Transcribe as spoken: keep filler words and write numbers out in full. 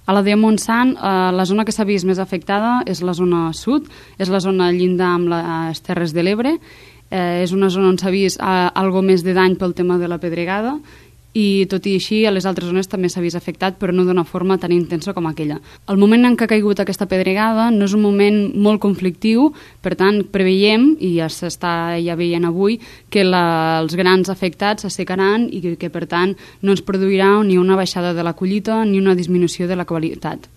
A la de Montsant, eh, la zona que s'ha vist més afectada és la zona sud, és la zona llinda amb les Terres de l'Ebre, eh, és una zona on s'ha vist eh, algo més de dany pel tema de la pedregada, i tot i així a les altres zones també s'ha vist afectat, però no d'una forma tan intensa com aquella. El moment en què ha caigut aquesta pedregada no és un moment molt conflictiu, per tant preveiem, i ja s'està ja veient avui, que la, els grans afectats s'assecaran i que, que per tant no ens produirà ni una baixada de la collita ni una disminució de la qualitat.